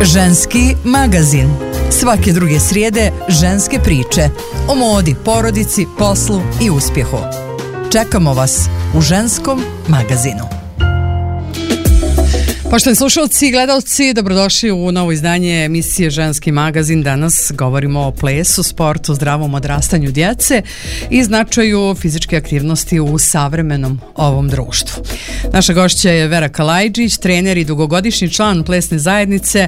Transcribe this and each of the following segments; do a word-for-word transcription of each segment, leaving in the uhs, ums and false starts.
Ženski magazin. Svake druge srijede ženske priče o modi, porodici, poslu i uspjehu. Čekamo vas u Ženskom magazinu. Poštovani slušalci i gledalci, dobrodošli u novo izdanje emisije Ženski magazin. Danas govorimo o plesu, sportu, zdravom odrastanju djece i značaju fizičke aktivnosti u savremenom ovom društvu. Naša gošća je Vera Kalajđić, trener i dugogodišnji član plesne zajednice.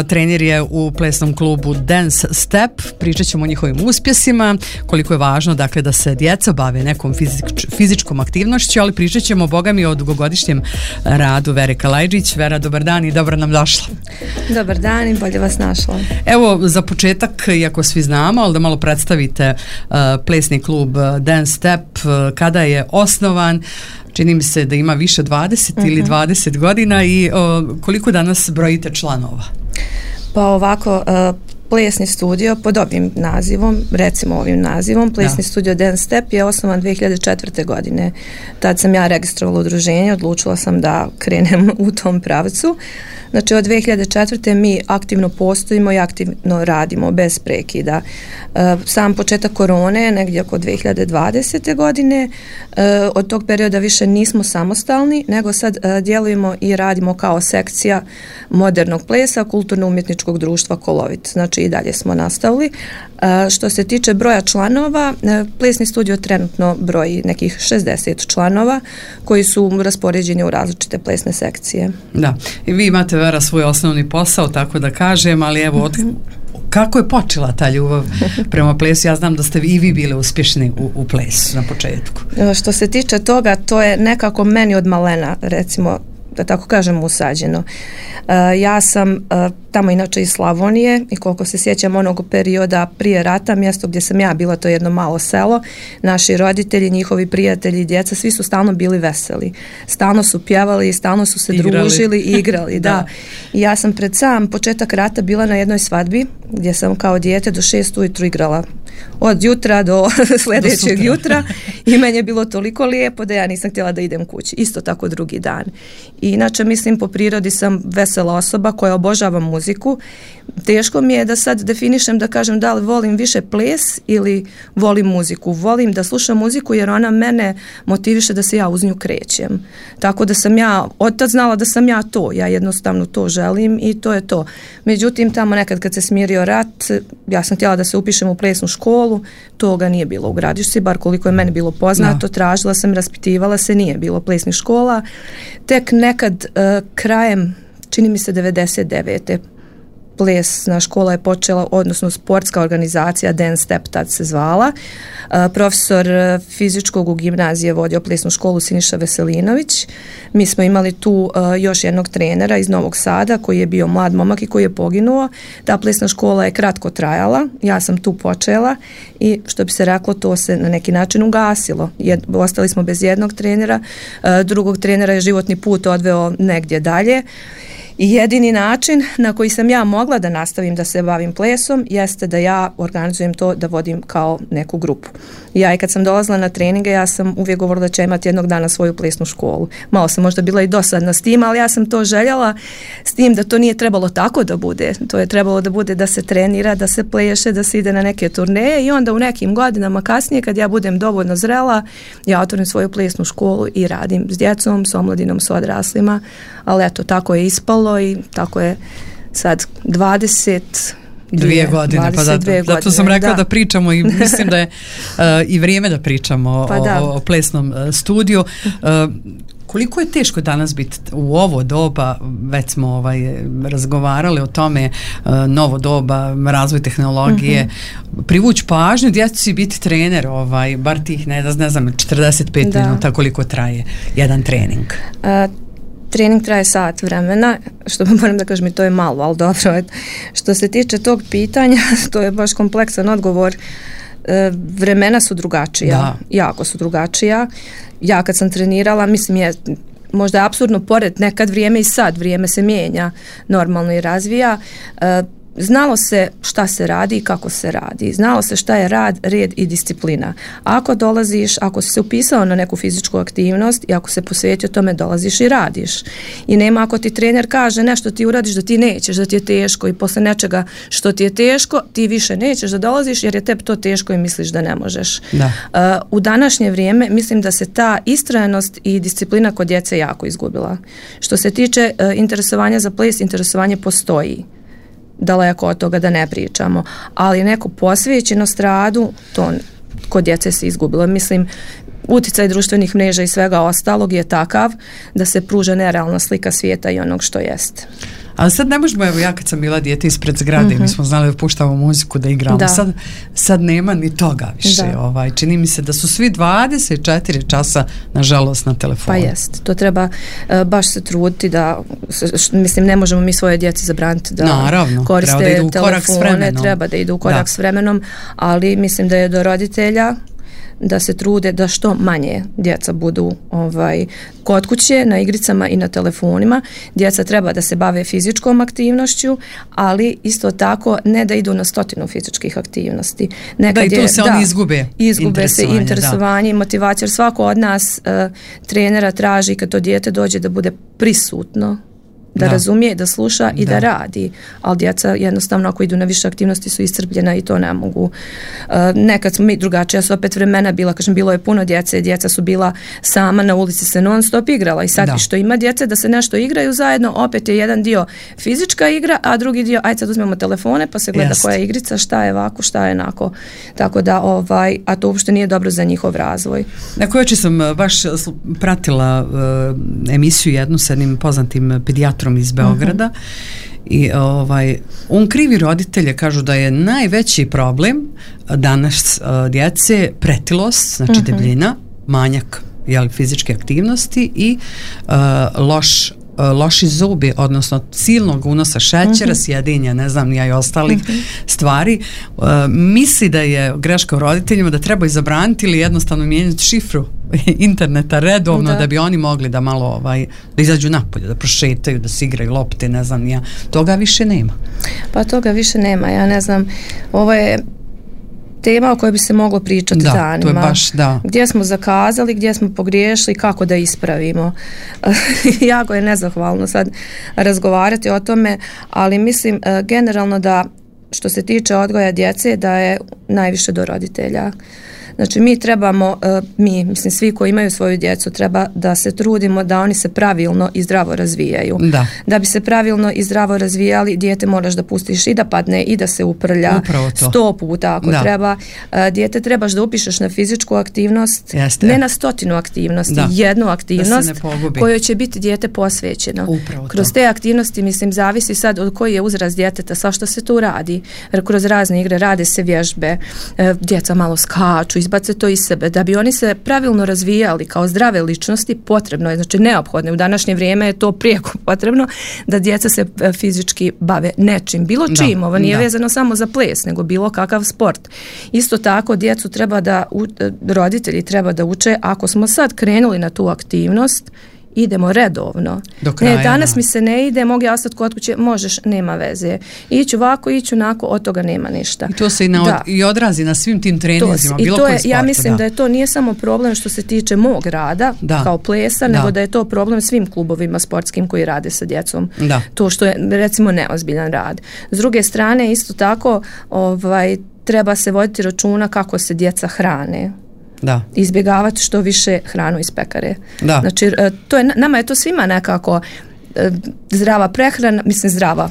Trener je u plesnom klubu Dance Step. Pričat ćemo o njihovim uspjesima, koliko je važno dakle, da se djeca bave nekom fizič, fizičkom aktivnošću, ali pričat ćemo, boga mi, o dugogodišnjem radu Vere Kalajđić. Vera, dobar dan i dobro nam došla. Dobar dan i bolje vas našla. Evo, za početak, iako svi znamo, ali da malo predstavite uh, plesni klub Dance Step, uh, kada je osnovan. Čini mi se da ima više dvadeset uh-huh. ili dvadeset godina i uh, koliko danas brojite članova? Pa ovako, uh, plesni studio pod ovim nazivom, recimo ovim nazivom, plesni da. studio Dance Step je osnovan dvije hiljade četvrte. godine. Tad sam ja registrovala udruženje, odlučila sam da krenem u tom pravcu. Znači od dvije hiljade četvrte. mi aktivno postojimo i aktivno radimo bez prekida. E, sam početak korone, negdje oko dvije hiljade dvadesete. godine, e, od tog perioda više nismo samostalni, nego sad e, djelujemo i radimo kao sekcija modernog plesa kulturno-umjetničkog društva Kolovit. Znači i dalje smo nastavili. E, što se tiče broja članova, e, plesni studio trenutno broji nekih šezdeset članova koji su raspoređeni u različite plesne sekcije. Da, i vi imate, Vera, svoj osnovni posao, tako da kažem, ali evo, od, kako je počela ta ljubav prema plesu? Ja znam da ste i vi bili uspješni u, u plesu na početku. Što se tiče toga, to je nekako meni od malena, recimo, da tako kažem, usađeno. Uh, ja sam uh, tamo inače iz Slavonije i koliko se sjećam onog perioda prije rata, mjesto gdje sam ja bila, to je jedno malo selo, naši roditelji, njihovi prijatelji, djeca, svi su stalno bili veseli. Stalno su pjevali, stalno su se igrali. družili i igrali. da. da. I ja sam pred sam početak rata bila na jednoj svadbi gdje sam kao dijete do šest ujutru igrala. Od jutra do sljedećeg do jutra i meni je bilo toliko lijepo da ja nisam htjela da idem kući. Isto tako drugi dan. I inače, mislim, po prirodi sam vesela osoba koja obožava muziku. Teško mi je da sad definišem, da kažem da li volim više ples ili volim muziku. Volim da slušam muziku jer ona mene motiviše da se ja uz nju krećem. Tako da sam ja od tad znala da sam ja to. Ja jednostavno to želim i to je to. Međutim, tamo nekad kad se smirio rat, ja sam htjela da se upišem u plesnu školu, toga nije bilo u Gradišci, bar koliko je meni bilo poznato, no. tražila sam, raspitivala se, nije bilo plesnih škola. Tek nekad uh, krajem, čini mi se devedeset devete. plesna škola je počela, odnosno sportska organizacija Dance Step tad se zvala. Uh, profesor fizičkog u gimnaziji je vodio plesnu školu Siniša Veselinović. Mi smo imali tu uh, još jednog trenera iz Novog Sada koji je bio mlad momak i koji je poginuo. Ta plesna škola je kratko trajala. Ja sam tu počela i što bi se reklo, to se na neki način ugasilo. Jed, ostali smo bez jednog trenera. Uh, drugog trenera je životni put odveo negdje dalje. I jedini način na koji sam ja mogla da nastavim da se bavim plesom jeste da ja organizujem to, da vodim kao neku grupu. Ja i kad sam dolazila na treninge, ja sam uvijek govorila da će imati jednog dana svoju plesnu školu. Malo sam možda bila i dosadna s tim, ali ja sam to željela, s tim da to nije trebalo tako da bude. To je trebalo da bude da se trenira, da se pleše, da se ide na neke turneje i onda u nekim godinama kasnije, kad ja budem dovoljno zrela, ja otvorim svoju plesnu školu i radim s djecom, s omladinom, s odraslima, ali eto, tako je ispalo i tako je sad dvadeset dvije godine, pa zato, godine, zato sam rekla da. da pričamo i mislim da je uh, i vrijeme da pričamo pa o, da. o plesnom uh, studiju. Uh, koliko je teško danas biti u ovo doba, već smo ovaj, razgovarali o tome, uh, novo doba, razvoj tehnologije, mm-hmm. privući pažnju djecu i biti trener, ovaj, bar tih, ne, ne znam, četrdeset pet da. minuta koliko traje jedan trening. Uh, Trening traje sat vremena, što moram da kažem i to je malo, ali dobro. Što se tiče tog pitanja, to je baš kompleksan odgovor. E, vremena su drugačija, da. jako su drugačija. Ja kad sam trenirala, mislim je možda je apsurdno pored nekad vrijeme i sad, vrijeme se mijenja normalno i razvija. E, znalo se šta se radi i kako se radi. Znalo se šta je rad, red i disciplina. Ako dolaziš, ako si se upisao na neku fizičku aktivnost i ako se posvetio tome, dolaziš i radiš. I nema ako ti trener kaže nešto ti uradiš da ti nećeš, da ti je teško i posle nečega što ti je teško, ti više nećeš da dolaziš jer je tebi to teško i misliš da ne možeš. Da. Uh, u današnje vrijeme mislim da se ta istrajanost i disciplina kod djece jako izgubila. Što se tiče uh, interesovanja za ples, interesovanje postoji. Daleko od toga da ne pričamo, ali neko posvećenost radu, to kod djece se izgubilo. Mislim, uticaj društvenih mreža i svega ostalog je takav da se pruža nerealna slika svijeta i onog što jeste. Ali sad ne možemo, evo ja kad sam bila dijete ispred zgrade, mm-hmm. mi smo znali da puštamo muziku, da igramo, da. Sad, sad nema ni toga više. Ovaj, čini mi se da su svi dvadeset četiri časa nažalost na telefonu. Pa jest, to treba uh, baš se truditi da, š, mislim, ne možemo mi svoje djeci zabraniti da Naravno, koriste treba da idu u korak telefone, s vremenom. Treba da idu u korak da. s vremenom, ali mislim da je do roditelja da se trude da što manje djeca budu ovaj, kod kuće, na igricama i na telefonima. Djeca treba da se bave fizičkom aktivnošću, ali isto tako ne da idu na stotinu fizičkih aktivnosti. Nekad da i tu se je, oni da, izgube. Izgube se interesovanje i motivacija, jer svako od nas uh, trenera traži kad to dijete dođe da bude prisutno, da, da razumije, da sluša i da. da radi. Ali djeca jednostavno ako idu na više aktivnosti su iscrpljena i to ne mogu. Uh, nekad smo mi drugačija su opet vremena bila, kažem, bilo je puno djece, djeca su bila sama na ulici se non stop igrala i sad da. što ima djece da se nešto igraju zajedno, opet je jedan dio fizička igra, a drugi dio, ajde sad uzmemo telefone pa se gleda Jest. koja je igrica, šta je ovako, šta je onako. Tako da, ovaj, a to uopšte nije dobro za njihov razvoj. Neko jučer sam baš pratila uh, emisiju jednu sa jednim poznatim pedijatrom iz Beograda uh-huh. i ovaj, on krivi roditelje, kažu da je najveći problem danas uh, djece pretilost, znači uh-huh. debljina, manjak jel, fizičke aktivnosti i uh, loš uh, loši zubi, odnosno silnog unosa šećera, uh-huh. sjedinja, ne znam, ja i ostalih uh-huh. stvari. Uh, misli da je greška u roditeljima da treba izabraniti ili jednostavno mijenjati šifru interneta redovno da. da bi oni mogli da malo ovaj, da izađu napolje, da prošetaju, da se igraju lopte, ne znam, ja. Toga više nema. Pa toga više nema, ja ne znam, ovo je tema o kojoj bi se moglo pričati da, danima. To je baš, da. Gdje smo zakazali, gdje smo pogriješili, kako da ispravimo. Jako je nezahvalno sad razgovarati o tome, ali mislim generalno da što se tiče odgoja djece da je najviše do roditelja. Znači mi trebamo, mi, mislim svi koji imaju svoju djecu, treba da se trudimo da oni se pravilno i zdravo razvijaju. Da. Da bi se pravilno i zdravo razvijali, dijete moraš da pustiš i da padne i da se uprlja sto puta ako da. treba. Dijete trebaš da upišeš na fizičku aktivnost, Jeste. ne na stotinu aktivnosti, da. jednu aktivnost kojoj će biti dijete posvećeno. Upravo kroz to. te aktivnosti, mislim, zavisi sad od koji je uzrast djeteta, sa što se tu radi. Jer kroz razne igre rade se vježbe, djeca malo skaču, izbace to iz sebe. Da bi oni se pravilno razvijali kao zdrave ličnosti, potrebno je, znači neophodno. U današnje vrijeme je to prijeko potrebno da djeca se fizički bave nečim, bilo čim. Da, Ovo nije da. vezano samo za ples, nego bilo kakav sport. Isto tako, djecu treba da, roditelji treba da uče, ako smo sad krenuli na tu aktivnost, idemo redovno. Do kraja, ne, danas da. mi se ne ide, mogu ja ostati kod kuće, možeš, nema veze. Iću ovako, iću onako, od toga nema ništa. I to se i, na od, i odrazi na svim tim treninzima, bilo koji sport. Ja mislim da. da je to nije samo problem što se tiče mog rada, da. kao plesa, da. nego da je to problem svim klubovima sportskim koji rade sa djecom. Da. To što je, recimo, neozbiljan rad. S druge strane, isto tako, ovaj, treba se voditi računa kako se djeca hrane. Da. Izbjegavati što više hranu iz pekare. Da. Znači, to je, nama je to svima nekako zdrava prehrana, mislim zdrava,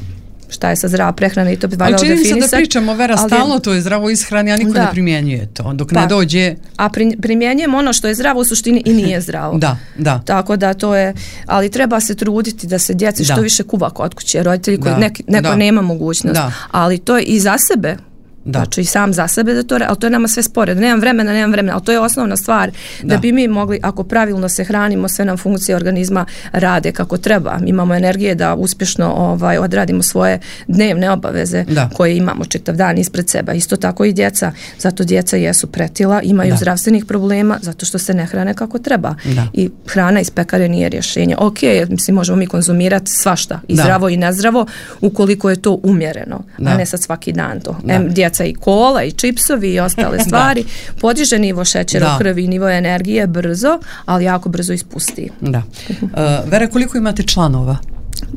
šta je sa zdrava prehrana i to bi valjalo definisati. Ali čini se da pričamo, Vera, stalno to je zdravo ishrani, a niko da. ne primjenjuje to, dok pa, ne dođe... A pri, primjenjujemo ono što je zdravo u suštini i nije zdravo. Da, da. Tako da to je, ali treba se truditi da se djeci što više kuva kod kuće, roditelji koji neki, neko da. nema mogućnost. Da. Ali to je i za sebe Da. Znači i sam za sebe da to, ali to je nama sve spore, da nemam vremena, nemam vremena, ali to je osnovna stvar da, da bi mi mogli, ako pravilno se hranimo, sve nam funkcije organizma rade kako treba, imamo energije da uspješno ovaj, odradimo svoje dnevne obaveze da. koje imamo čitav dan ispred seba. Isto tako i djeca, zato djeca jesu pretila, imaju da. zdravstvenih problema, zato što se ne hrane kako treba. Da. I hrana iz pekare nije rješenje. Ok, mislim, možemo mi konzumirati svašta, i da. zdravo i nezdravo, ukoliko je to umjereno, da. a ne sad svaki dan to. Em, djeca i kola i čipsovi i ostale stvari, podiže nivo šećera u krvi, nivo energije brzo, ali jako brzo ispusti. Da. Uh, Vera, koliko imate članova?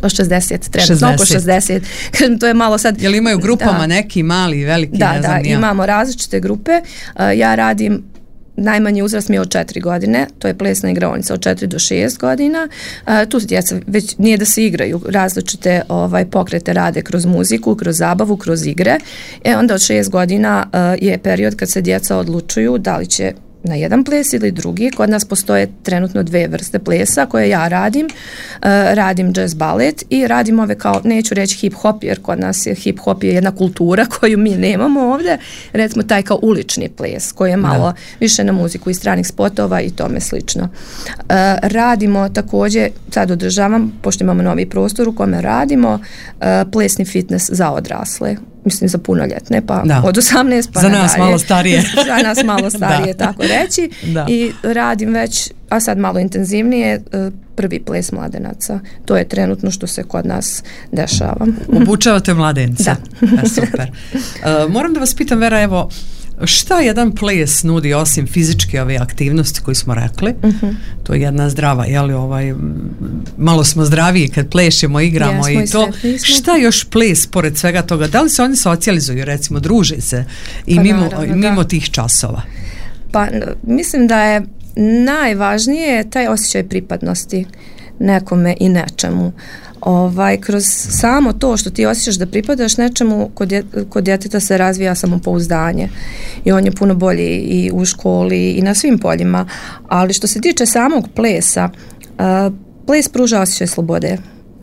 šezdeset, trenutno oko šezdeset. To je malo sad... Jel imaju grupama da. neki mali, veliki? Da, ne znam, da, ja. imamo različite grupe. Uh, ja radim najmanji uzrast mi je od četiri godine, to je plesna igraonica od četiri do šest godina. E, tu djeca već nije da se igraju, različite ovaj, pokrete rade kroz muziku, kroz zabavu, kroz igre. E onda od šest godina e, je period kad se djeca odlučuju da li će na jedan ples ili drugi. Kod nas postoje trenutno dve vrste plesa koje ja radim. E, radim jazz balet i radim ove kao, neću reći hip hop, jer kod nas je hip hop je jedna kultura koju mi nemamo ovdje. Recimo taj kao ulični ples koji je malo da. više na muziku i stranih spotova i tome slično. E, radimo također, sad održavam, pošto imamo novi prostor u kome radimo, e, plesni fitness za odrasle. Mislim za punoljetne, pa da. od osamnaest pa za nadalje. nas malo starije. Za nas malo starije, tako reći. Da. I radim već, a sad malo intenzivnije, prvi ples mladenaca. To je trenutno što se kod nas dešava. Obučavate mladence. Da. E, super. Uh, moram da vas pitam, Vera, evo, šta jedan ples nudi osim fizičke ove aktivnosti koje smo rekli? Uh-huh. To je jedna zdrava, jeli, ovaj, malo smo zdraviji kad plešemo, igramo yes, i to. Šta još ples pored svega toga? Da li se oni socijalizuju, recimo, druže se i pa mimo, naravno, mimo tih časova? Pa mislim da je najvažnije taj osjećaj pripadnosti nekome i nečemu. Ovaj, kroz samo to što ti osjećaš da pripadaš nečemu, kod, dje, kod djeteta se razvija samopouzdanje i on je puno bolji i u školi i na svim poljima, ali što se tiče samog plesa, uh, ples pruža osjećaj slobode.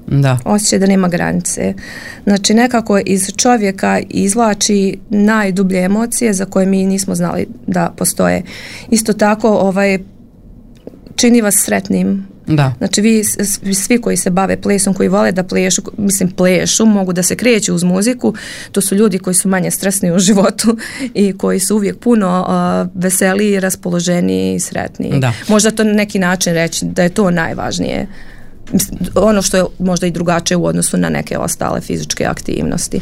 Da. Osjećaj da nema granice. Znači nekako iz čovjeka izvlači najdublje emocije za koje mi nismo znali da postoje. Isto tako ovaj, čini vas sretnim. Da. Znači vi svi koji se bave plesom, koji vole da plešu, mislim plešu, mogu da se kreću uz muziku, to su ljudi koji su manje stresni u životu i koji su uvijek puno uh, veseliji, raspoloženiji i sretniji. Da. Možda to na neki način reći da je to najvažnije. Ono što je možda i drugačije u odnosu na neke ostale fizičke aktivnosti.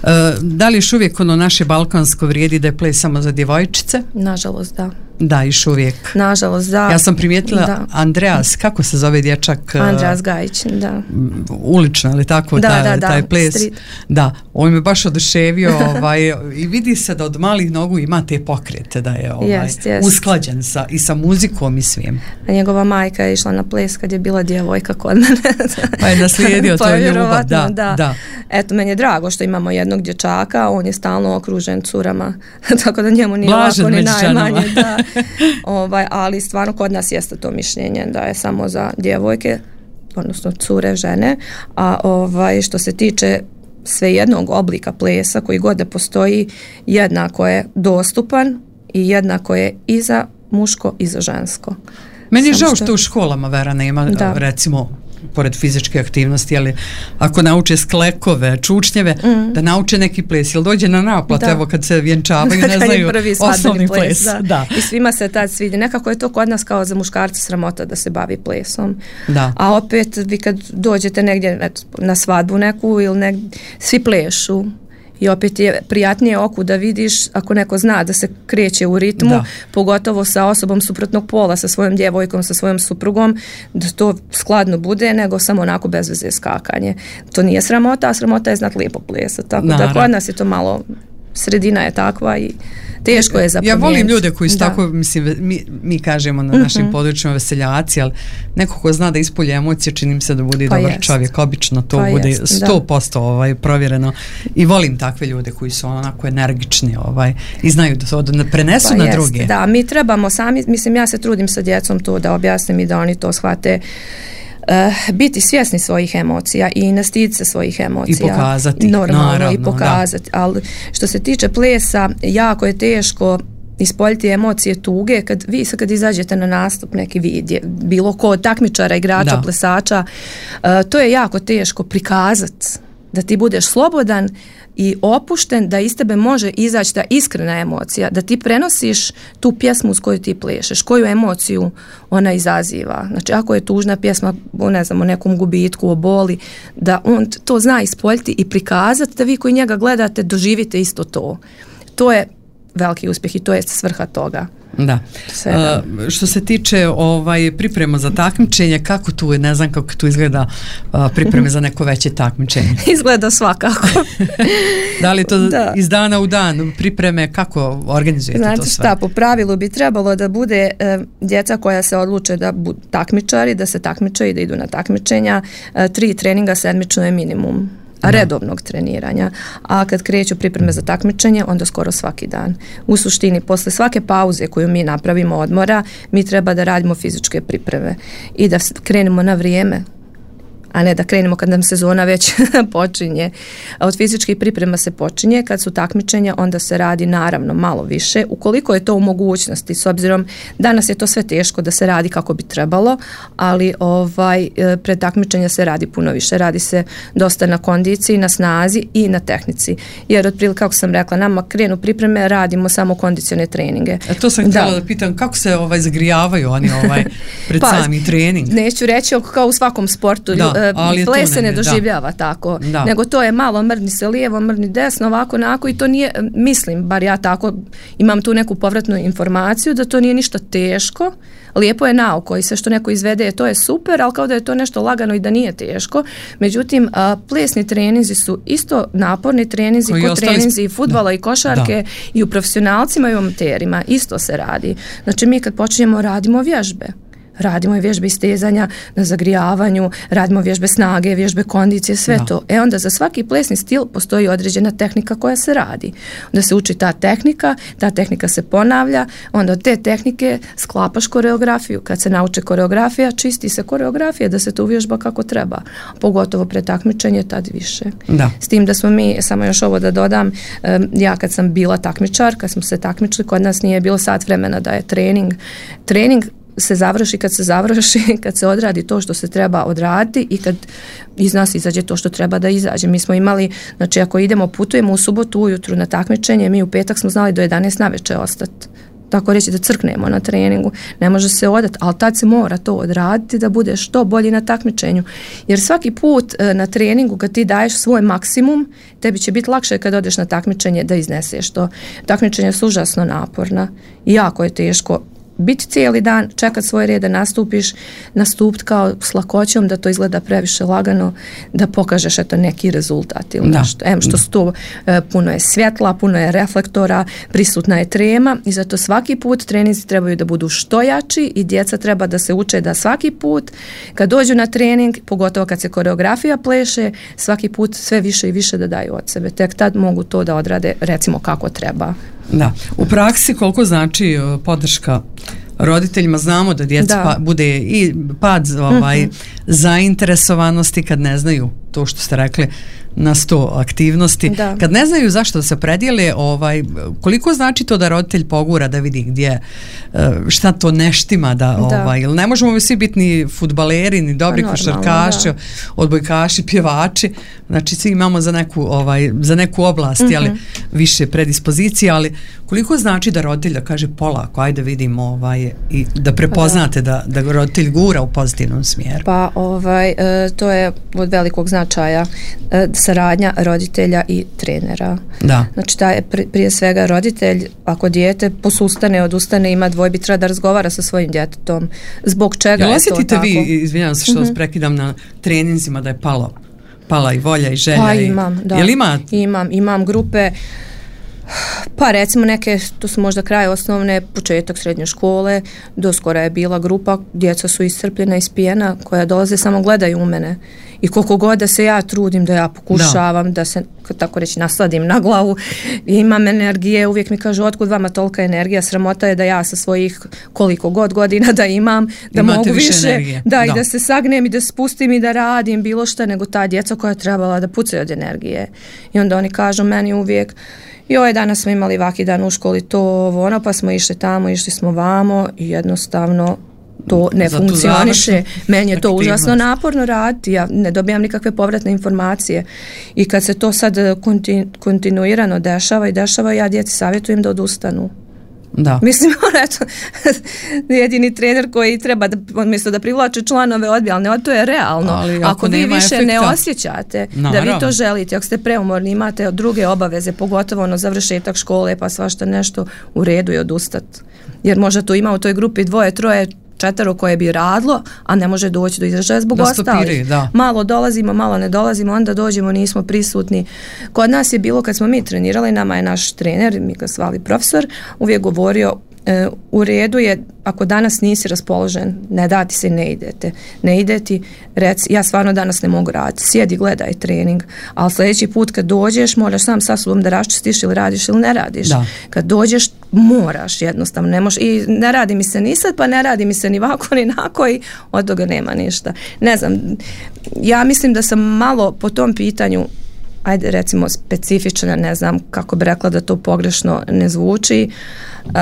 Uh, da li još uvijek ono naše balkansko vrijedi da je ples samo za djevojčice? Nažalost, da. Da, još uvijek. Nažalost, da. Ja sam primijetila da. Andreas, kako se zove dječak? Andreas Gajić, da. Ulično, ali tako, da, taj, da, da, taj ples. Street. Da, on me baš oduševio ovaj, i vidi se da od malih nogu ima te pokrete, da je ovaj, yes, yes. usklađen sa, i sa muzikom i svim. A njegova majka je išla na ples kad je bila djevojka kod mene. Pa je naslijedio to ljubav. Da, da. da. Eto, meni je drago što imamo jednog dječaka, on je stalno okružen curama, tako da njemu nije Blažen lako ni najmanje. Da. Ovaj, ali stvarno kod nas jeste to mišljenje da je samo za djevojke, odnosno cure, žene, a ovaj, što se tiče svejednog oblika plesa koji god da postoji, jednako je dostupan i jednako je i za muško i za žensko. Meni je žao što u školama, Vera, nema, da. recimo, pored fizičke aktivnosti, ali ako nauče sklekove, čučnjeve, mm. da nauče neki ples, ili dođe na naplat, da. evo kad se vjenčavaju, ne znaju osnovni ples. ples. Da. Da. I svima se tad svidi. Nekako je to kod nas kao za muškarca sramota da se bavi plesom. Da. A opet vi kad dođete negdje eto, na svadbu neku ili negdje, svi plešu. I opet je prijatnije oku da vidiš ako neko zna da se kreće u ritmu, da. pogotovo sa osobom suprotnog pola, sa svojom djevojkom, sa svojom suprugom, da to skladno bude, nego samo onako bez veze skakanje. To nije sramota, a sramota je znat lijepo plesa. Tako Naravno. da kod nas je to malo, sredina je takva i teško je za Ja volim ljude koji su da. tako, mislim, mi, mi kažemo na našim mm-hmm. područjima veseljaci, ali neko ko zna da ispolje emocije, čini mi se da bude pa dobar jest. čovjek, obično to pa bude sto posto ovaj, provjereno i volim takve ljude koji su onako energični ovaj, i znaju da to da prenesu pa na jest. druge. Da, mi trebamo sami, mislim, ja se trudim sa djecom to da objasnim i da oni to shvate. biti svjesni svojih emocija i ne stiditi se svojih emocija. I pokazati. Normalno, naravno, i pokazati. Da. Ali što se tiče plesa, jako je teško ispoljiti emocije tuge kad vi sad kad izađete na nastup neki vidje, bilo ko od takmičara, igrača, da. plesača, uh, to je jako teško prikazati da ti budeš slobodan i opušten, da iz tebe može izaći ta iskrena emocija, da ti prenosiš tu pjesmu s koju ti plešeš, koju emociju ona izaziva. Znači, ako je tužna pjesma, ne znam, o nekom gubitku, o boli, da on to zna ispoljiti i prikazati, da vi koji njega gledate doživite isto to. To je veliki uspjeh i to je svrha toga. Da. Uh, što se tiče ovaj priprema za takmičenje, kako tu je, ne znam kako tu izgleda uh, pripreme za neko veće takmičenje? Izgleda svakako. Da li to da. iz dana u dan pripreme, kako organizujete Znate to sve? Znate šta, po pravilu bi trebalo da bude e, djeca koja se odluče da budu takmičari, da se takmiče i da idu na takmičenja, e, tri treninga sedmično je minimum. redovnog treniranja, a kad kreću pripreme za takmičenje, onda skoro svaki dan. U suštini, posle svake pauze koju mi napravimo odmora, mi treba da radimo fizičke pripreme i da krenemo na vrijeme, a ne da krenemo kad nam sezona već počinje. Od fizičkih priprema se počinje, kad su takmičenja onda se radi naravno malo više, ukoliko je to u mogućnosti, s obzirom danas je to sve teško da se radi kako bi trebalo, ali ovaj pred takmičenja se radi puno više, radi se dosta na kondiciji, na snazi i na tehnici, jer otprilike kako sam rekla, nama krenu pripreme, radimo samo kondicione treninge. E to sam htjela da, da pitam, kako se ovaj zagrijavaju oni ovaj pred pa, sami trening? Neću reći kao u svakom sportu, da. Ples se ne doživljava da. tako, da. nego to je malo mrni se lijevo, mrni desno, ovako, onako i to nije, mislim, bar ja tako imam tu neku povratnu informaciju da to nije ništa teško, lijepo je na oko i sve što neko izvede to je super, ali kao da je to nešto lagano i da nije teško. Međutim, a, plesni treninzi su isto naporni treninzi, kod treninzi i fudbala i košarke da. i u profesionalcima i u amaterima, isto se radi. Znači mi kad počinjemo radimo vježbe. Radimo i vježbe istezanja na zagrijavanju, radimo vježbe snage, vježbe kondicije, sve no. to. E onda za svaki plesni stil postoji određena tehnika koja se radi. Onda se uči ta tehnika, ta tehnika se ponavlja, onda od te tehnike sklapaš koreografiju. Kad se nauče koreografija, čisti se koreografija da se to uvježba kako treba. Pogotovo pred takmičenje, tad više. Da. S tim da smo mi, samo još ovo da dodam, ja kad sam bila takmičar, kad smo se takmičili, kod nas nije bilo sat vremena da je trening. Trening se završi kad se završi, kad se odradi to što se treba odraditi i kad iz nas izađe to što treba da izađe. Mi smo imali, znači ako idemo, putujemo u subotu ujutru na takmičenje, mi u petak smo znali do jedanaest navečer ostati. Tako reći da crknemo na treningu. Ne može se odati, ali tad se mora to odraditi da bude što bolji na takmičenju. Jer svaki put na treningu kad ti daješ svoj maksimum, tebi će biti lakše kad odeš na takmičenje da izneseš to. Takmičenje su užasno naporna i jako je teško biti cijeli dan, čekat svoj red da nastupiš, nastupiti kao s lakoćom, da to izgleda previše lagano, da pokažeš eto neki rezultat ili nešto. Em što su to, e, puno je svjetla, puno je reflektora, prisutna je trema i zato svaki put treninzi trebaju da budu što jači i djeca treba da se uče da svaki put kad dođu na trening, pogotovo kad se koreografija pleše, svaki put sve više i više da daju od sebe. Tek tad mogu to da odrade recimo kako treba. Da. U praksi koliko znači podrška roditeljima? Znamo da djeca pa, bude i pad ovaj, mm-hmm. zainteresovanosti kad ne znaju to što ste rekli na sto aktivnosti. Da. Kad ne znaju zašto da se predijele, ovaj, koliko znači to da roditelj pogura da vidi gdje šta to neštima da, da. Ovaj, ili ne možemo svi biti ni fudbaleri, ni dobri pa, košarkaši, odbojkaši, pjevači, znači svi imamo za neku, ovaj, za neku oblast, mm-hmm. ali više predispozicije, ali koliko znači da roditelj da kaže polako, ajde vidimo ovaj, i da prepoznate da. Da, da roditelj gura u pozitivnom smjeru? Pa ovaj, e, to je od velikog značaja e, saradnja roditelja i trenera. Da. Znači taj prije svega roditelj, ako dijete posustane, odustane, ima dvojbi, treba da razgovara sa svojim djetetom. Zbog čega je to tako? Osjetite vi, izvinjavam se što mm-hmm. vas prekidam, na treninzima da je palo, pala i volja i želja? Pa imam, i, da. Jel ima? Imam, imam grupe. Pa recimo neke, to su možda kraj osnovne, početak srednje škole, doskora je bila grupa, djeca su iscrpljena, ispijena, koja dolaze samo gledaju u mene. I koliko god da se ja trudim, da ja pokušavam, da, da se, tako reći, nasladim na glavu, imam energije, uvijek mi kažu, otkud vama tolika energija, sramota je da ja sa svojih koliko god godina da imam, da imate mogu više, više, da, da, i da se sagnem i da spustim i da radim bilo šta, nego ta djeca koja je trebala da pucaju od energije. I onda oni kažu meni uvijek, joj, danas smo imali vaki dan u školi, to, ovo, ono, pa smo išli tamo, išli smo vamo i jednostavno to ne za funkcioniše. Meni je to užasno naporno raditi, ja ne dobijam nikakve povratne informacije. I kad se to sad konti, kontinuirano dešava i dešava, ja djeci savjetujem da odustanu. Da. Mislim, eto, jedini trener koji treba da, umjesto da privlače članove odbija, ali ne, to je realno. Ali ako, ako vi više efekta, ne osjećate naravno, da vi to želite, ako ste preumorni, imate druge obaveze, pogotovo ono završetak škole, pa svašta nešto, u redu je odustati. Jer možda tu ima u toj grupi dvoje, troje, četvero koje bi radilo, a ne može doći do izražaja zbog da ostalih. Da. Malo dolazimo, malo ne dolazimo, onda dođemo, nismo prisutni. Kod nas je bilo, kad smo mi trenirali, nama je naš trener, mi ga zvali profesor, uvijek govorio, e, u redu je, ako danas nisi raspoložen, ne dati se, ne idete. Ne ideti, reci, ja stvarno danas ne mogu raditi, sjedi, gledaj trening, ali sljedeći put kad dođeš, moraš sam sa sobom da raščistiš ili radiš ili ne radiš. Da. Kad dođeš, moraš jednostavno, ne možeš, i ne radi mi se ni sad, pa ne radi mi se ni ovako ni nako i od toga nema ništa. Ne znam, ja mislim da sam malo po tom pitanju, ajde recimo specifična, ne znam kako bi rekla da to pogrešno ne zvuči, uh,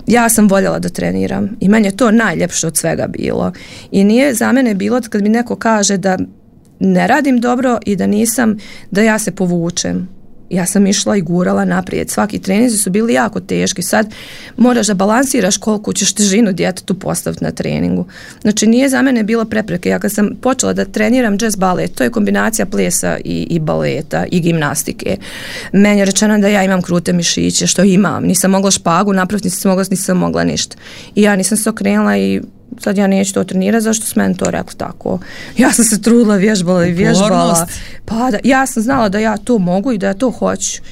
ja sam voljela da treniram i meni je to najljepše od svega bilo. I nije za mene bilo kad mi neko kaže da ne radim dobro i da nisam, da ja se povučem. Ja sam išla i gurala naprijed. Svaki treninzi su bili jako teški. Sad moraš da balansiraš koliko ćeš težinu djetetu postaviti na treningu. Znači nije za mene bilo prepreke. Ja kad sam počela da treniram jazz balet, to je kombinacija plesa i, i baleta i gimnastike. Meni je rečeno da ja imam krute mišiće, što imam. Nisam mogla špagu napraviti, nisam mogla, nisam mogla ništa. I ja nisam se okrenula i sad ja neću to trenirati, zašto su meni to rekli tako. Ja sam se trudila, vježbala i vježbala. Pa da, ja sam znala da ja to mogu i da ja to hoću.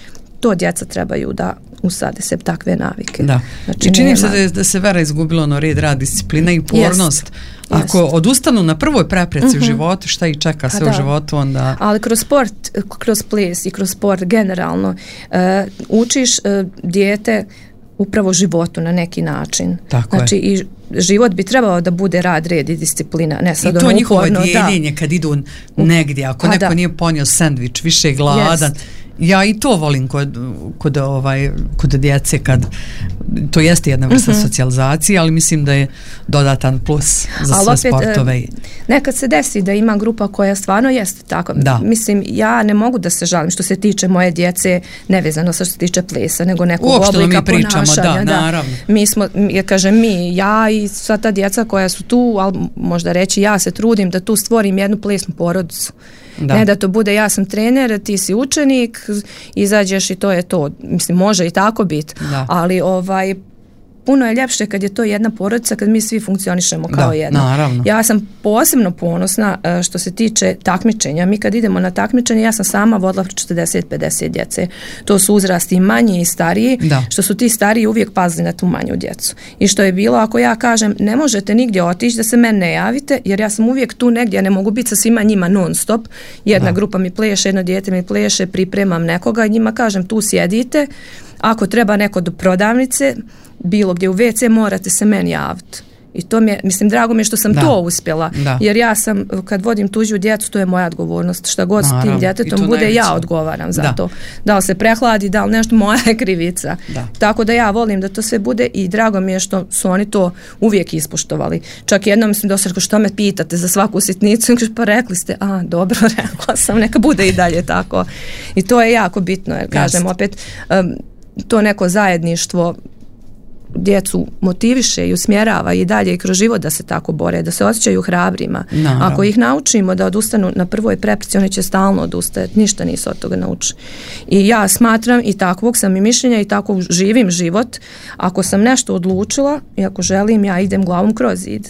To djeca trebaju da usade se takve navike. Da. Znači, i čini se da, je, da se Vera izgubila ono red, rad, disciplina i upornost. Jest. Ako jest. odustanu na prvoj prepreci mm-hmm. u životu, šta ih čeka sve u životu, onda... Ali kroz sport, kroz ples i kroz sport generalno, uh, učiš uh, dijete upravo životu na neki način. Tako znači je. I život bi trebao da bude rad, red i disciplina. Ne sad i to ono njihovo uporno, dijeljenje da. kad idu negdje, ako A, neko da. nije ponio sendvič, više je gladan. Jest. Ja i to volim kod, kod, ovaj, kod djece, kad to jeste jedna vrsta mm-hmm. socijalizacije, ali mislim da je dodatan plus za ali sve opet, sportove. Nekad se desi da ima grupa koja stvarno jeste tako. Da. Mislim, ja ne mogu da se žalim što se tiče moje djece, nevezano sa što se tiče plesa, nego nekog uopšte oblika mi pričamo, ponašanja. Da, naravno. Mi smo, ja kažem mi, ja i sva ta djeca koja su tu, ali možda reći ja se trudim da tu stvorim jednu plesnu porodicu. Da. Ne da to bude ja sam trener, ti si učenik, izađeš i to je to. Mislim, može i tako biti, ali ovaj, puno je ljepše kad je to jedna porodica, kad mi svi funkcionišemo kao da, jedno. Naravno. Ja sam posebno ponosna što se tiče takmičenja. Mi kad idemo na takmičenje, ja sam sama vodila četrdeset do pedeset djece. To su uzrasti i manji i stariji, da. Što su ti stariji uvijek pazili na tu manju djecu. I što je bilo, ako ja kažem, ne možete nigdje otići da se mene ne javite, jer ja sam uvijek tu negdje, ja ne mogu biti sa svima njima non stop. Jedna da. grupa mi pleše, jedno dijete mi pleše, pripremam nekoga i njima kažem, tu sjedite, ako treba neko do prodavnice, bilo gdje u ve ce, morate se meni javiti. I to mi je, mislim, drago mi je što sam da. to uspjela. Da. Jer ja sam, kad vodim tuđu djecu, to je moja odgovornost. Šta god s tim djetetom bude, najveće. Ja odgovaram za da. to. Da li se prehladi, da li nešto, moja je krivica. Da. Tako da ja volim da to sve bude i drago mi je što su oni to uvijek ispoštovali. Čak jednom mislim da se što me pitate za svaku sitnicu, pa rekli ste, a dobro, rekla sam, neka bude i dalje tako. I to je jako bitno, jer kažem Just. opet, um, to neko zajedništvo djecu motiviše i usmjerava i dalje i kroz život da se tako bore, da se osjećaju hrabrima. Naravno. Ako ih naučimo da odustanu na prvoj prepreci, oni će stalno odustajati, ništa nisu od toga naučili. I ja smatram i takvog sam i mišljenja i tako živim život. Ako sam nešto odlučila i ako želim, ja idem glavom kroz zid.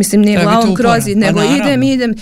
Mislim, nije glavom krozi, nego pa, idem, idem,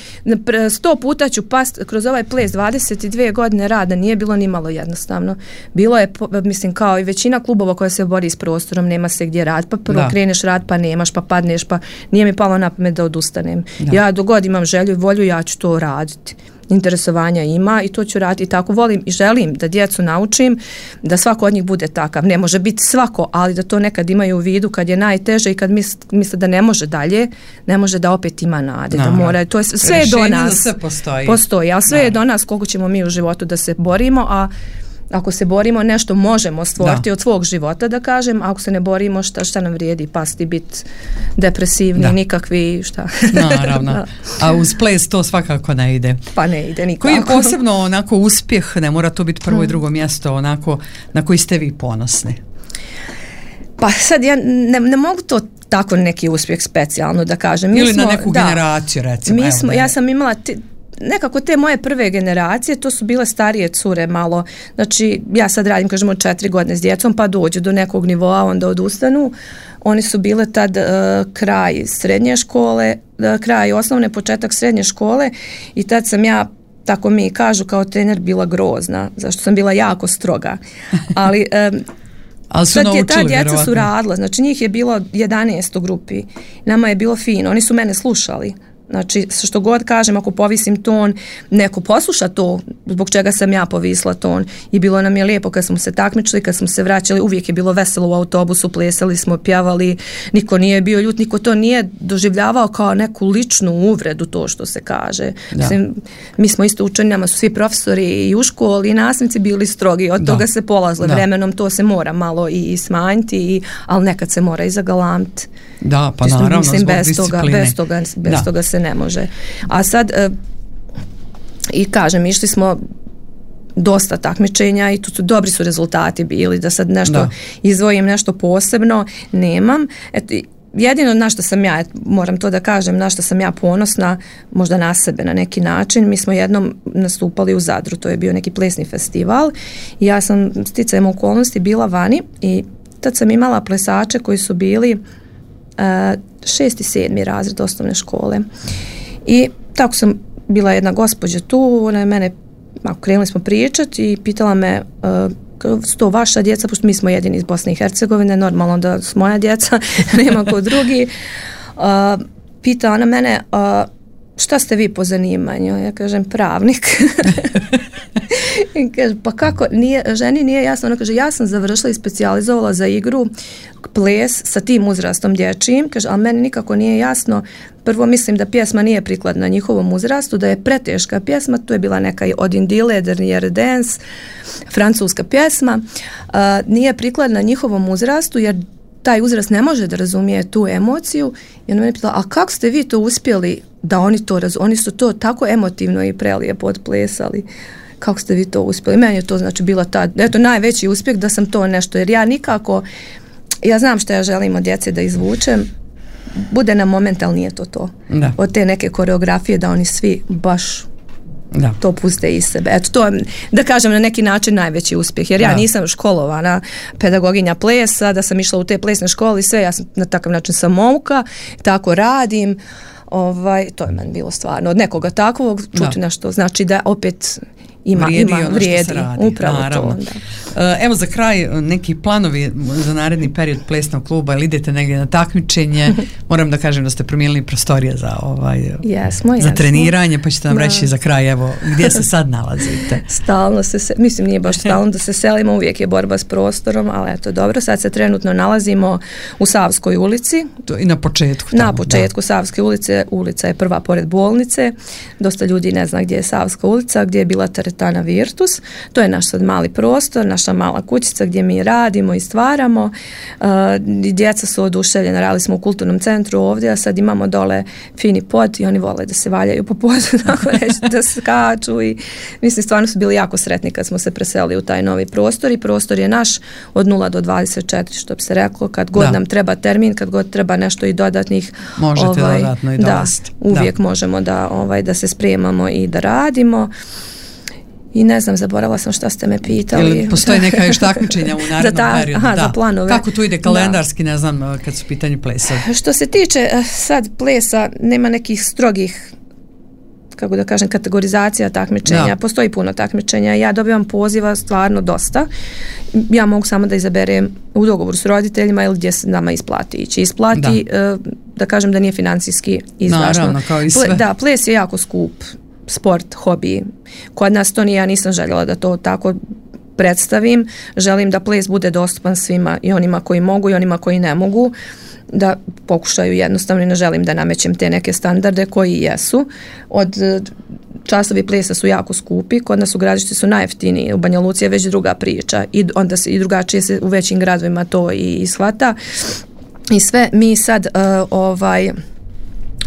sto puta ću past kroz ovaj ples, dvadeset dvije godine rada, nije bilo ni malo jednostavno. Bilo je, mislim, kao i većina klubova koja se bori s prostorom, nema se gdje rad, pa prvo da. kreneš rad, pa nemaš, pa padneš, pa nije mi palo na pamet da odustanem. Da. Ja dogod imam želju i volju, ja ću to raditi. Interesovanja ima i to ću raditi i tako volim i želim da djecu naučim da svako od njih bude takav. Ne može biti svako, ali da to nekad imaju u vidu kad je najteže i kad misle, misle da ne može dalje, ne može da opet ima nade. Da mora, to je, sve je do nas. Sve postoji. Postoji, ali sve da. je do nas koliko ćemo mi u životu da se borimo, a ako se borimo, nešto možemo stvoriti da. od svog života, da kažem, a ako se ne borimo, šta, šta nam vrijedi pasti, biti depresivni, da. nikakvi, šta. Naravno. Da. A uz ples to svakako ne ide. Pa ne ide nikako. Koji je posebno onako uspjeh, ne mora to biti prvo hmm. i drugo mjesto, onako, na koji ste vi ponosni? Pa sad ja ne, ne mogu to tako neki uspjeh specijalno da kažem. Mi Ili smo, na neku da, generaciju, recimo. Mi smo, ja sam imala... T, nekako te moje prve generacije, to su bile starije cure malo, znači ja sad radim, kažemo, četiri godine s djecom, pa dođu do nekog nivoa, onda odustanu. Oni su bile tad uh, kraj srednje škole, uh, kraj osnovne, početak srednje škole i tad sam ja, tako mi kažu, kao trener bila grozna, zašto sam bila jako stroga. Ali... Um, Ali su sad naučili, je, ta djeca vjerovatno. su radila, znači njih je bilo jedanaest u grupi, nama je bilo fino, oni su mene slušali. Znači, što god kažem, ako povisim ton, neko posluša to, zbog čega sam ja povisla ton. I bilo nam je lijepo kad smo se takmičili, kad smo se vraćali, uvijek je bilo veselo u autobusu, plesali smo, pjevali, niko nije bio ljut, niko to nije doživljavao kao neku ličnu uvredu, to što se kaže. Mislim, mi smo isto učeni, nama su svi profesori i u školi i nastavnici bili strogi, od da. toga se polazlo da. vremenom, to se mora malo i, i smanjiti, i, ali nekad se mora i zagalamiti. Da, pa naravno, mislim, zbog bez discipline. Toga, bez toga, bez da. toga se ne može. A sad, e, i kažem, išli smo dosta takmičenja i tu su dobri su rezultati bili, da sad nešto da. izvojim nešto posebno, nemam. Eto, jedino na što sam ja, moram to da kažem, na što sam ja ponosna, možda na sebe na neki način, mi smo jednom nastupali u Zadru, to je bio neki plesni festival i ja sam sticajem okolnosti bila vani i tad sam imala plesače koji su bili uh, šesti, sedmi razred osnovne škole. I tako sam bila jedna gospođa tu, ona je mene, ako krenuli smo pričati i pitala me uh, su to vaša djeca, pošto mi smo jedini iz Bosne i Hercegovine, normalno da su moja djeca, nema ko drugi. Uh, pita ona mene, uh, šta ste vi po zanimanju? Ja kažem, pravnik. I kaže, pa kako, nije, ženi nije jasno, ona kaže, ja sam završila i specijalizovala za igru ples sa tim uzrastom dječjim, kaže, ali meni nikako nije jasno, prvo mislim da pjesma nije prikladna njihovom uzrastu, da je preteška pjesma, to je bila neka od Indile, Dernier Dance, francuska pjesma, uh, nije prikladna njihovom uzrastu, jer taj uzrast ne može da razumije tu emociju i ona mene pitala, a kako ste vi to uspjeli da oni to razumiju, oni su to tako emotivno i prelijepo odplesali. Kako ste vi to uspjeli? Meni je to znači bila ta, eto, najveći uspjeh da sam to nešto, jer ja nikako, ja znam što ja želim od djece da izvučem, bude na moment, ali nije to to. Da. Od te neke koreografije da oni svi baš da. to puste iz sebe. Eto, to je, da kažem, na neki način najveći uspjeh, jer ja da. nisam školovana pedagoginja plesa, da sam išla u te plesne škole i sve, ja sam na takav način samouka, tako radim. Ovaj, to je meni bilo stvarno od nekoga takvog čuti da. nešto, znači da opet ima, vrijedi ima, ono vrijedi, što se radi. Upravo Naravno. to. Da. Evo za kraj neki planovi za naredni period plesnog kluba, ili idete negdje na takmičenje, moram da kažem da ste promijenili prostorije za, ovaj, jesmo, za jesmo. treniranje, pa ćete nam da. reći za kraj, evo, gdje se sad nalazite? Stalno se, se mislim nije baš stalno da se selimo, uvijek je borba s prostorom, ali eto dobro, sad se trenutno nalazimo u Savskoj ulici. To i na početku. Tamo, na početku da. Savske ulice, ulica je prva pored bolnice, dosta ljudi ne zna gdje je Savska ulica, gdje je bila teretana Virtus, to je naš sad mali prostor, naša mala kućica gdje mi radimo i stvaramo, uh, djeca su oduševljena, radili smo u kulturnom centru ovdje, a sad imamo dole fini pod i oni vole da se valjaju po podu, tako reći, da skaču i mislim stvarno su bili jako sretni kad smo se preselili u taj novi prostor i prostor je naš od nula do dvadeset četiri, što bi se reklo, kad god da. nam treba termin, kad god treba nešto i dodatnih, možete ovaj, dodatno i da, dolaziti. uvijek da. možemo da, ovaj, da se spremamo i da radimo. I ne znam, zaboravila sam šta ste me pitali. Ili postoji neka još takmičenja u narednom ta, periodu? Aha, da. Za planove. Kako tu ide kalendarski, da. Ne znam, kad su pitanje plesa? Što se tiče sad plesa, nema nekih strogih, kako da kažem, kategorizacija takmičenja. Da. Postoji puno takmičenja. Ja dobivam poziva stvarno dosta. Ja mogu samo da izaberem u dogovoru s roditeljima ili gdje se nama isplati ići. Isplati, da, da kažem da nije financijski izdašno. Naravno, kao i sve. Ple, da, ples je jako skup sport, hobi. Kod nas to nije, ja nisam željela da to tako predstavim. Želim da ples bude dostupan svima, i onima koji mogu i onima koji ne mogu, da pokušaju jednostavno, i ne želim da namećem te neke standarde koji jesu. Od časovi plesa su jako skupi, kod nas u Gradišci su najjeftiniji, u Banja Luci je već druga priča i onda se i drugačije se u većim gradovima to i ishvata. I sve mi sad uh, ovaj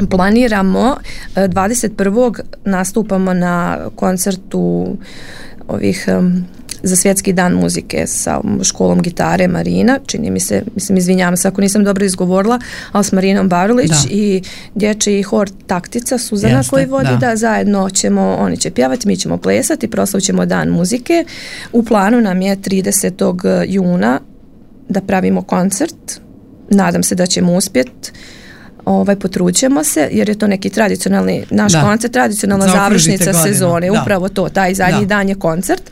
planiramo dvadeset prvog nastupamo na koncertu ovih um, za svjetski dan muzike sa školom gitare Marina, čini mi se, mislim, izvinjavam se ako nisam dobro izgovorila, ali s Marinom Barulić da. I dječji hor Taktica Suzana Jeste, koji vodi, da. da zajedno ćemo, oni će pjevati, mi ćemo plesati, proslavit ćemo dan muzike. U planu nam je tridesetog juna da pravimo koncert, nadam se da ćemo uspjeti. Ovaj, potrućemo se, jer je to neki tradicionalni, naš da. koncert, tradicionalna završnica godinu. Sezone, da. Upravo to, taj zadnji da. dan je koncert.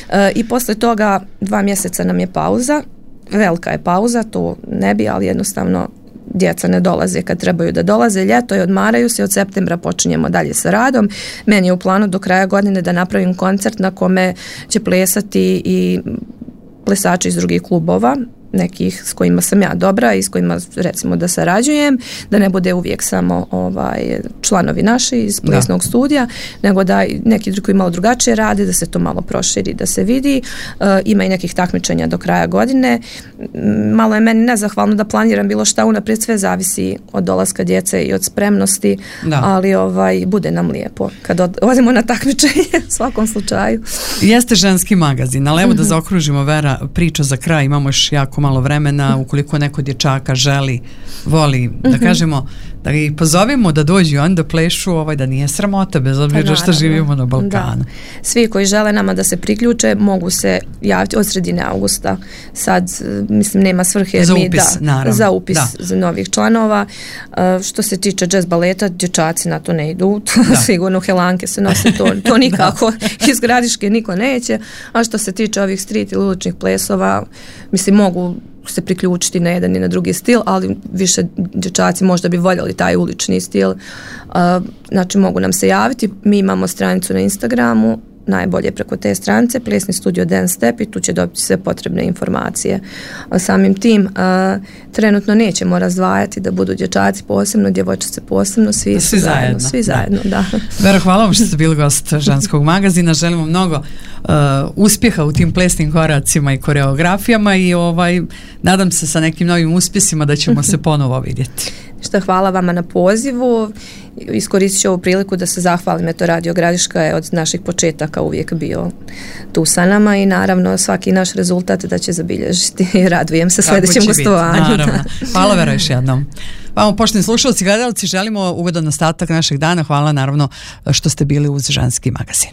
E, i posle toga dva mjeseca nam je pauza, velika je pauza, to ne bi, ali jednostavno djeca ne dolaze kad trebaju da dolaze, ljeto i odmaraju se, od septembra počinjemo dalje sa radom. Meni je u planu do kraja godine da napravim koncert na kome će plesati i plesači iz drugih klubova, nekih s kojima sam ja dobra i s kojima recimo da sarađujem, da ne bude uvijek samo ovaj članovi naši iz plesnog da. studija, nego da neki drugi malo drugačije rade, da se to malo proširi, da se vidi. E, ima i nekih takmičenja do kraja godine. Malo je meni nezahvalno da planiram bilo šta unaprijed, sve zavisi od dolaska djece i od spremnosti, da. ali ovaj bude nam lijepo kad od, odemo na takmičenje u svakom slučaju. Jeste ženski magazin, ali evo mm-hmm. da zaokružimo, Vera, priča za kraj, imamo još jako malo vremena, ukoliko neko dječaka želi, voli, da mm-hmm. kažemo, da ih pozovemo da dođu on da plešu, ovaj, da nije sramota, bez obzira što živimo na Balkanu. Da. Svi koji žele nama da se priključe, mogu se javiti od sredine avgusta. Sad, mislim, nema svrhe za mi, upis, da, naravno. Za upis da. za novih članova. Uh, što se tiče jazz baleta, dječaci na to ne idu. Sigurno helanke se nose, to, to nikako iz Gradiške niko neće. A što se tiče ovih street ili uličnih plesova, mislim, mogu se priključiti na jedan i na drugi stil, ali više dječaci možda bi voljeli taj ulični stil. Uh, znači mogu nam se javiti. Mi imamo stranicu na Instagramu, najbolje preko te stranice, Plesni studio Dance Step, i tu će dobiti sve potrebne informacije. A samim tim uh, trenutno nećemo razdvajati da budu dječaci posebno, djevojčice posebno, svi, svi zajedno, zajedno, svi zajedno, da. da. Vera, hvala vam što ste bili gost ženskog magazina. Želimo mnogo uh, uspjeha u tim plesnim koracima i koreografijama i ovaj, nadam se sa nekim novim uspjesima da ćemo se ponovo vidjeti. Što hvala vama na pozivu. Iskoristit ću ovu priliku da se zahvalim, eto Radio Gradiška je od naših početaka uvijek bio tu sa nama i naravno svaki naš rezultat da će zabilježiti i radujem se sljedećem gostovanju. Naravno. Hvala, Vera, još jednom. Vamo, poštovni slušalci i gledalci, želimo ugodan ostatak našeg dana. Hvala naravno što ste bili uz ženski magazin.